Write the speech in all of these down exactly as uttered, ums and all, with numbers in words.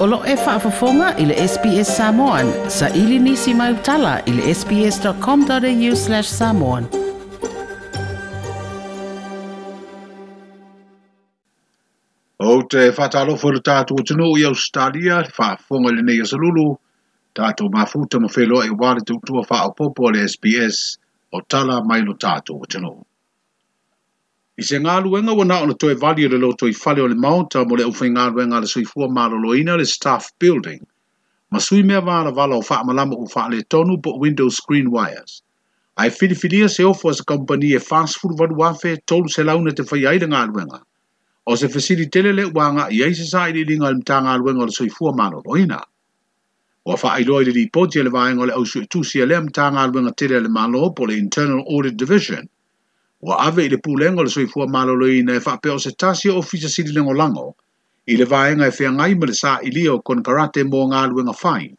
O lo e faafofoga i le S B S Samoan, sa ili nisi mai utala i le sbs.com.au slash samoan. O te whātalofo le tātou atunuu i Australia, le faafofoga i lenei asolulu, tātou mafuta ma wheloa e wale tautua whaopopo le S B S o tala mai lo tātou atunuu. I se ngāluenga ua na ona toe vali o le loto i fale o le maota mo le aufaigaluega a le soifua maloloina le staff building, ma sui mea valavala o faamalama ua faaletonu po o window screen wires. Ae filifilia se ofo a se kampani e fasefulu valu afe tolu selau na te fai ai le galuega. O se fesili tele le ua agai ai se sailiiliga a le Matagaluega o le Soifua Maloloina. Ua faailoa i le lipoti a le vaega o le ausuetusi a lea Matagaluega tele a le Malo po o le Internal Audit Division. Ua ave i le pulega o le Soifua Maloloina e faapea o se tasi o ofisa sili lagolago i le vaega e feagai ma le sailia o konekarate mo galuega fai,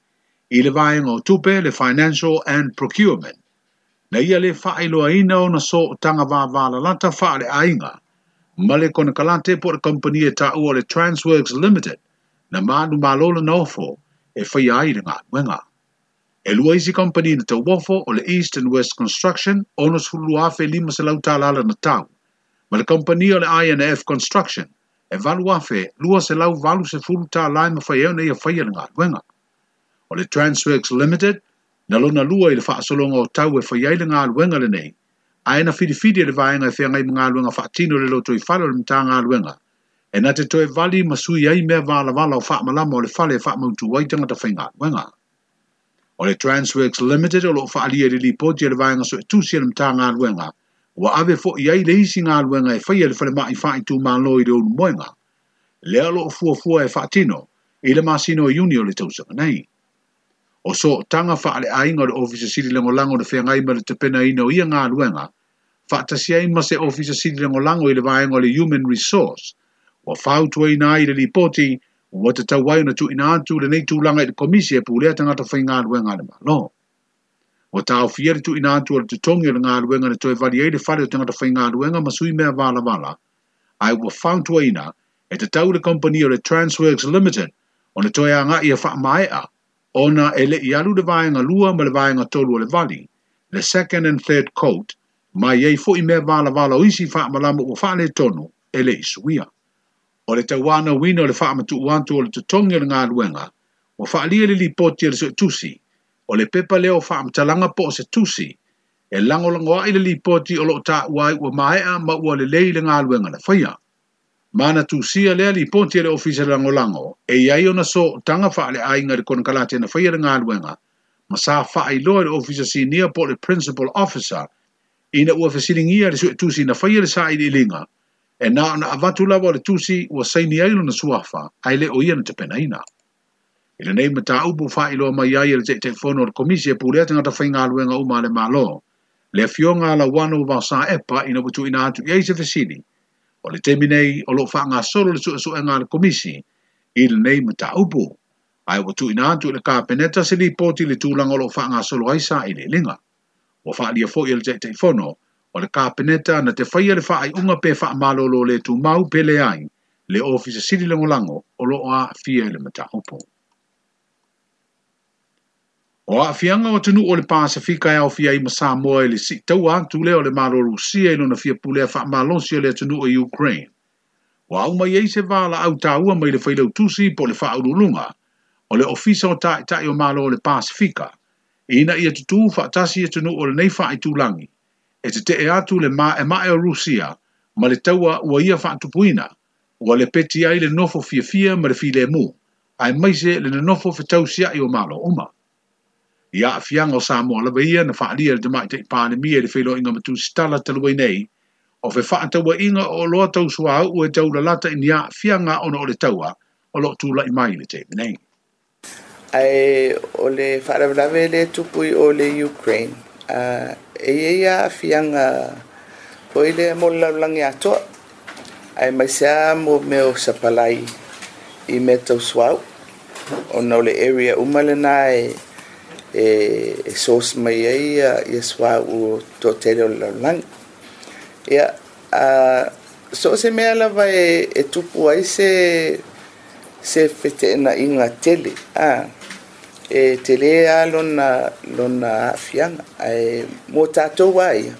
i le vaega o tupe le Financial and Procurement. Na ia le faailoaina ona sootaga vavalalata faaleaiga ma le konekarate po o le kampani e taua o le Transworks Limited na manumalo lana ofo e faia ai le galuega. E lua isi kampani na tauofo o le East and West Construction, ono sefulu afe lima selau tala na tau. Ma le kampani o le I and F Construction, e valu afe lua selau valu sefulu tala e mawhai e ona ia faia le galuega. O le Transworks Limited, na lona lua i le faasologa o tau e faia ai le galuega lenei, ae na filifili e le vaega e feagai ma galuega faatino le loto i fale o le Matagaluega, e na te toe vali ma sui ai mea valavala o faamalama o le fale e faamautu ai tagata faigaluega. O le Transworks Limited o loo faalia i le lipoti a le vaega suetusi a le Matagaluega, ua ave fo'i ai le isi galuega e faia le falemai faaitumalo i le Ulumoega. Lea o loo fuafua e faatino i le masina o Iuni o le tausaga nei. O sootaga faaleaiga o le Ofisa Sili Lagolago na feagai ma le tapenaina o ia galuega, faatasi ai ma se Ofisa Sili Lagolago i le vaega o le Human Resource, ua fautuaina ai i le lipoti ua tatau ai ona tuuina atu lenei tulaga i le komisi e pulea tagata faigaluega a le Malo. Ua taofia le tuuina atu o le totogi o le galuega na toe vali ai le fale o tagata faigaluega ma sui mea valavala, ae ua fautuaina e tatau le kampani o le Transworks Limited ona toe agai e faamaea ona e le i alu le vaega lua ma le vaega tolu o le vali, le second and third coat, ma i ai fo'i mea valavala o isi faamalama ua faaletonu e le i suia. O le tauanauina o le faamatuu atu o le totogi o le galuega, ua faalia le lipoti a le suetusi, o le pepa lea o faamatalaga po o se tusi, e lagolago ai le lipoti o loo taua ai ua maea ma ua lelei le galuega na faia. Ma na tusia lea lipoti a le ofisa lagolago, e i ai ona sootaga faaleaiga i le konekarate na faia le galuega, ma sa faailoa i le ofisa sinia po o le principal officer, ina ua fesiligia le suetusi na faia le sailiiliga, e na ona avatu lava o le tusi ua saini ai lona suafa, ae le o ia na tapenaina. I lenei mataupu faailoa mai ai e le Taitaifono o le Komisi e pulea tagata faigaluega uma a le Malo, le afioga a Lauano Vaosaepa ina ua tuuina atu i ai se fesili. O le taimi nei o loo faagasolo le suesuega a le Komisi i lenei mataupu, ae ua tuuina atu i le Kapeneta se lipoti i le tulaga o loo faagasolo ai sailiiliga. Ua faalia foi e le Taitaifono o le Kapeneta na te faia le faaiuga pe faamalolo le tumau pe leai le Ofisa Sili Lagolago o loo aafia i le mataupu. O aafiaga o atunuu o le Pasefika e aofia ai ma Samoa i le siitaua atu lea o le Malo o Rusia i lona fia pulea faamalosi o le atunuu o Ukraine. Ua aumai ai se valaau taua mai le failautusi po o le faauluuluga o le Ofisa o Taitai o Malo o le Pasefika, ina ia tutū faatasi atunuu o lenei faaitulagi, e tetee atu le maemae o Rusia ma le taua ua ia faatupuina, ua lepeti ai le nofo fiafia ma le filemu, ae maise le nonofo fetausiai o Malo uma. I aafiaga o Samoa lava ia na faalia i le Tamaitai Palemia i le feiloaiga ma tusitala talu ai nei, o fefaatauaiga o oloa tausuauu e taulalata i ni aafiaga ona o le taua o loo tulai mai i le taimi nei. Ae o le faalavelave le tupu i o le Ukraine, uh, e i ai aafiaga foi lea mo le lalolagi atoa, ae maise lava mo mea o sapalai i mea tausuauu, ona o le area uma lena e e, e source mai ai ia, ia suauu toatele o le lalolagi. Ia, uh, so o se mea lava e, e tupu ai se, se feteenaiga tele a e tele a lona lona aafiaga ae mo tatou a ia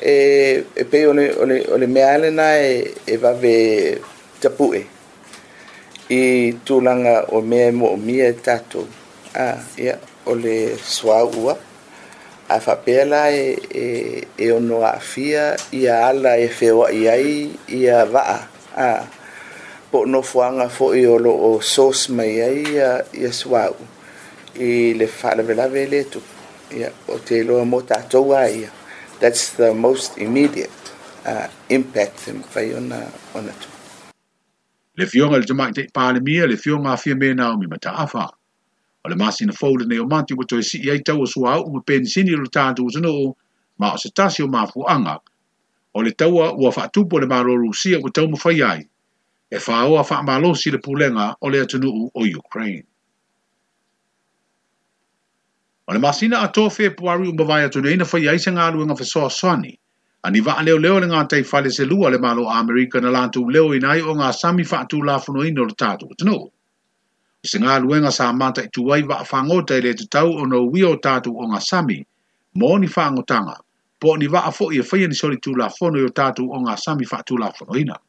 e e pei o le o le o le mea lena e e vave tapu'e i tulaga o mea e moomia e tatou a ia o le suauu a faapea la e e e ono aafia ia ala e feoai ai ia vaa a po o nofoaga foi o loo source mai ai ia ia suauu i le faalavelave lea tupu ia o te iloa mo tatou a ia that's the most immediate uh, impact e mafai ona ona tupu. Le Afioga i le Tamaitai Palemia, le Afioga a Fiame Naomi Mataafa. O le masina fou lenei o Mati ua toe sii ai tau o suauu ma penisini o le tatou atunuu, ma o se tasi o mafuaaga o le taua ua faatupu e le Malo o Rusia ua taumafai ai e faoa faamalosi le pulega o le atunuu o Ukraine. O le masina atoa Fepuari ua mavae atu nei na faia ai se galuega fesoasoani a ni vaaleoleo le gataifale se lua le Malo o Amerika na latou leoina ai ogasami faatulafonoina o le tatou atunuu. O se galuega sa mataitu ai vaafagota e le tatau ona uia o tatou ogasami mo ni faagotaga po o ni vaa foi e faia ni solitulafono i o tatou ogasami faatulafonoina.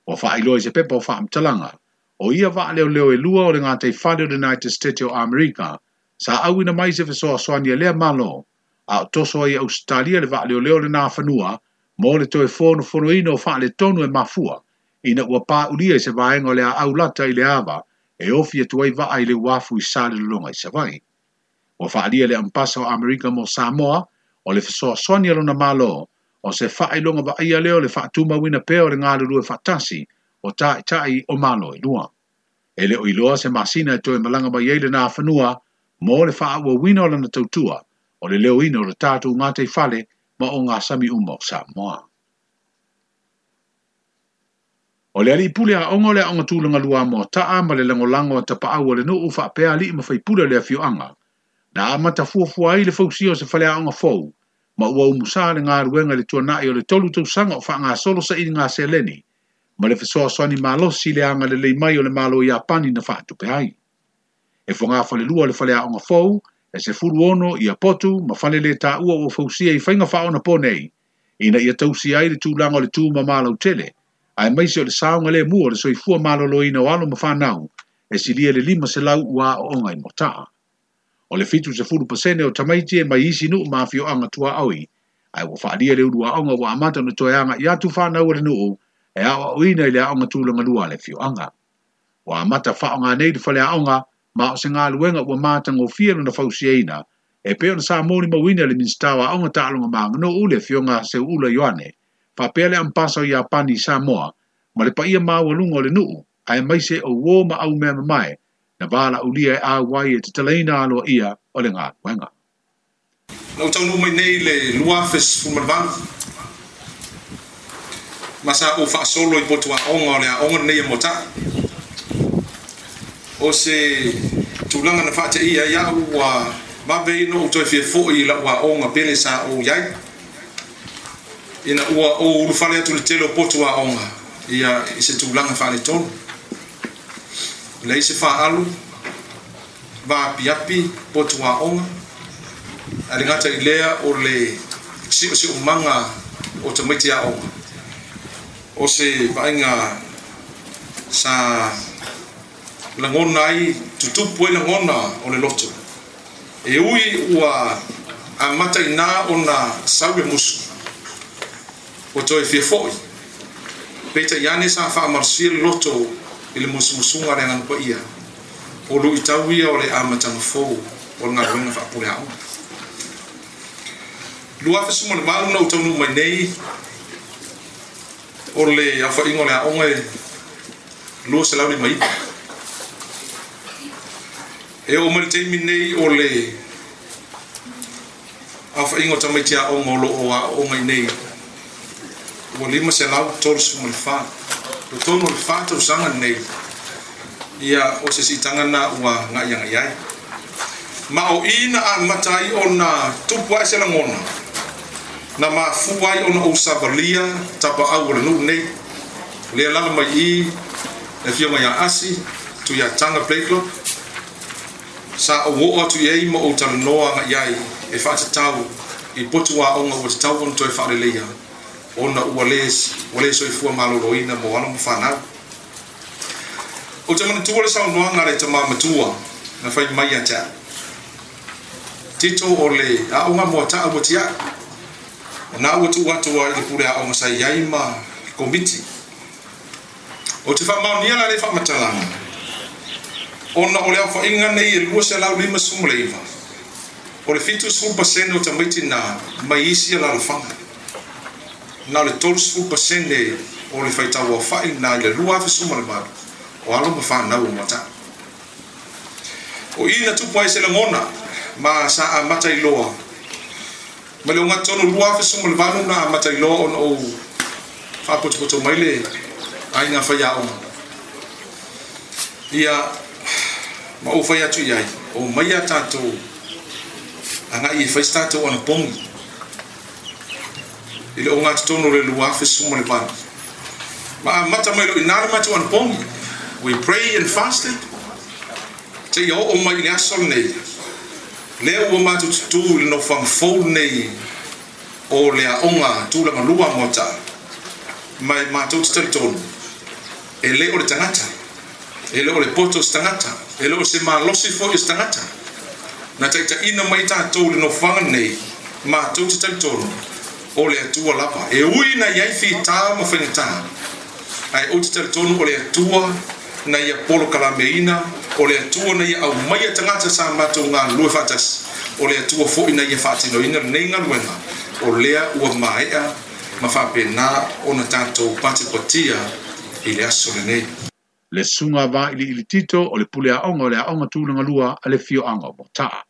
Ua faailoa i se pepa o faamatalaga o ia vaaleoleo e lua o le gataifale o le United States o Amerika sa auina mai se fesoasoani a lea Malo a o toso ai Ausetalia le vaaleoleo lena fanua mo le toe fonofonoina o faaletonu e mafua ina ua paulia i se vaega o le aau lata i le ava e ofi atu ai vaa i le uafu i Salelologa i Savaii. Ua faaalia le Ambasa o Amerika mo Samoa o le fesoasoani a lona Malo o se faailoga vaaia lea o le faatumauina pea o le galulue faatasi o taitai o Malo e lua. E le o iloa se masina e toe malaga mai ai lena fanua mo le faaauauina o lana tautua o le leoina o le tatou gataifale ma ogasami uma o Samoa. O le alii pule aoga o le aoga tulaga lua Moataa ma le lagolago a tapaau o le nuu faapea alii ma faipule o le afioaga na amata fuafua ai le fausia o se faleaoga fou ma ua umusa le galuega i le tuanai o le tolu tausaga o faagasolo sailiga seleni ma le fesoasoani malosi le agalelei mai o le Malo o Iapani na faatupe ai. E fogafalelua le faleaoga fou e sefulu ono ia potu ma fale le taua ua fausia i faiga faaonapo nei ina ia tausia ai le tulaga o le tumama lautele aemaise o le saogalemu o le soifua maloloina o alo ma fanau e silia le lima selau ua aooga i Moataa. O le fitu sefulu pasene o tamaiti e mai isi nuu ma afioaga tuaoi ae ua faalia le uluaoga ua amata ona toe aga'i atu fanau a le nuu e aoaoina i le aoga tulaga lua a le afioaga. Ua amata faaaoga nei le faleaoga ma o se galuega ua matagofie lona fausiaina e pei ona sa molimauina le Minisita o Aoga Taaloga ma Aganuu le Afioga Seuula Ioane faapea le Ambasa o Iapani i Samoa ma le paia maualuga o le nuu aemaise o uō ma aumea mamae na valaulia e auai e tatalaina aloaia o le galuega. Na ou taunuu mai nei i le lua afe sefulu ma le valu ma sa ou faasolo i potu aoga o le aoga lenei e Moataa. O se tulaga na faateia ai a'u ua vave ai ona ou toe fiafo'i i la'u aoga pele sa ou iai ina ua ou ulufale atu i le tele o potu aoga ia i se tulaga faaletonu. Leai se faaalu vaapiapi potu aoga ae le gata i lea o le si'osi'omaga o tamaiti aoga o se vaaiga sa lagona ai tutupu ai lagona o le loto e ui ua amata iná ona sau le musu ua toe fiafo'i peitai ane sa faamalosia le loto i le musumusuga a le Agaga Paia o lu'itau ia o le amataga fou o le galuega faapule aoga. Lua afe sefulu ma le valu na ou taunuu mai nei o le aofaiga o le aoga e lua selau lima iva. E oo mai le taimi nei o le aofaiga o tamaiti aoga o loo aooga i nei ua lima selau tolu sefulu ma le fa. Totonu o le fa tausaga lenei ia o se siitaga na ua ga'iaga'i ai. Ma o i na amata ai ona tupu ae se lagona na mafua ai ona ou savalia tapaau o le nuu nei lea lala mai i Le afioga ia Asi Tuiataga Blakelock sa ou oo atu i ai ma ou talanoa agaʻi ai e faatatau i potu aoga ua tatau ona toe faaleleia ona ua lē ua lē soifua malōlōina mo alo ma fanau. Ou te manatua le saunoaga a le tamā matua na fai mai ia te a'u Tito o le aoga Moata'a ua tia'i ona ua tuu atu ai le pule aoga sa i ai ma komiti. Ou te faamaonia la le faamatalaga ona o le aofaʻiga nei e lua selau lima sefulu ma le iva o le fitu sefulu pasene o tamaiti na mai isi alalafaga na o le tolu sefulu pasene o le faitau aofaʻi na i le lua afe sefulu ma le valu o alo ma fanau o Moata'a. O i na tupu ai se lagona ma sa amata iloa ma le ogatotonu lua afe sefulu ma le valu na amata iloa ona ou faapotopoto mai le aiga faiaoga ia ma ou fai atu i ai o mai a tatou agaʻi e fai se tatou anapogi i le ogatotonu o le lua afe sefulu ma le valu ma amata mai loʻi ina le matou anapogi. We pray and fasted seia oo mai i le aso lenei lea ua matou tutū i le nofoaga fou lenei o le aoga tulaga lua Moata'a ma e matou te talitonu e lē o le tagata e lē o le poto o se tagata e lē o se malosi foʻi o se tagata na taitaʻina mai tatou le nofoaga lenei matou te talitonu o le Atua lava e ui na iai fitā ma faigatā ae ou te talitonu o le Atua na ia polokalameina o le Atua na ia aumaia tagata sa matou galulue faatasi o le Atua foʻi na ia faatinoina lenei galuega o lea ua maeʻa ma faapena ona tatou patipatia i le aso lenei. Le susuga Vailiili Tito o le pule aoga o le aoga tulaga lua a le afioaga o Moata'a.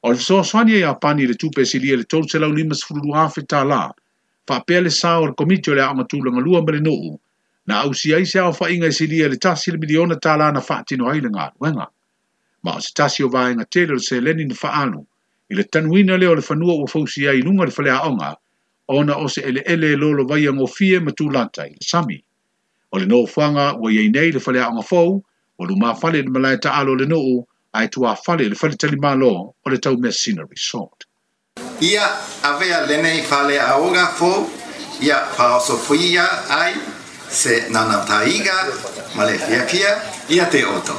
O le fesoasoani a Iapani i le tupe e silia i le tolu selau lima sefulu lua afe tālā, faapea le sao o le komiti o le aoga tulaga lua ma le nuu, na ausia ai se aofaiga e silia i le tasi le miliona tālā na faatino ai le galuega. Ma o se tasi o vaega tele o le seleni na faaalu i le tanuina lea o le fanua ua fausia ai i luga o le faleaoga ona o se eleele e lolovaia gofie ma tulata i le sami. O le nofoaga ua i ai nei le faleaoga fou, ua lumafale i le malae taalo o le nuu, ae tuafale i le faletalimalo o le Taumeasina Resort. Ia avea lenei faleaoga fou ia faaosofoia ai se naunautaiga ma le fiafia ia te outou.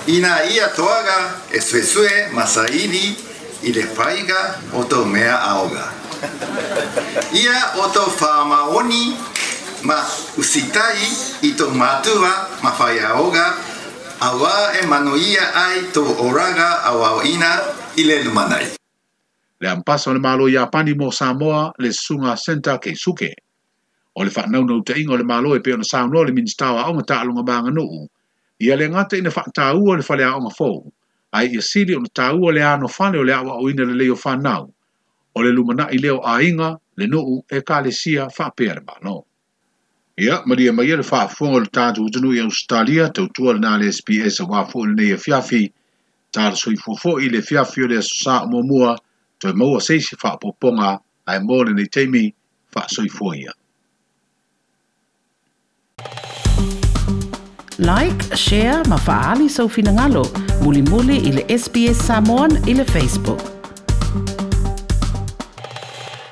Ina ia toaga e suesue ma saili i le faiga o tou mea aoga. Ia outou faamaoni ma usitai i tou matua ma faiaoga auā e manuia ai tou olaga aoaoina i le lumanai. Le Ambasa o le Malo o Iapani mo Samoa, le Susuga Senta Keisuke. O le faanaunautaiga o le Malo e pei ona saunoa le Minisita o Aoga Taaloga ma Aganuu, ia le gata ina faataua le faleaoga fou, ae ia sili ona taua le anofale o le aoaoina lelei o fanau, o le lumanai lea o aiga, le nuu, ekalesia faapea le Malo. Ia, malie maia le faafofoga o le tatou atunuu i Ausetalia, tautua lena le S B S auā foi lenei afiafi, tala soifua foi i le afiafi o le Aso Sa o muamua, toe maua se isi faaopoopoga ae mo lenei taimi, faasoifua ia. Like, share ma faaali sou finagalo, mulimuli i le S B S Samoan i le Facebook.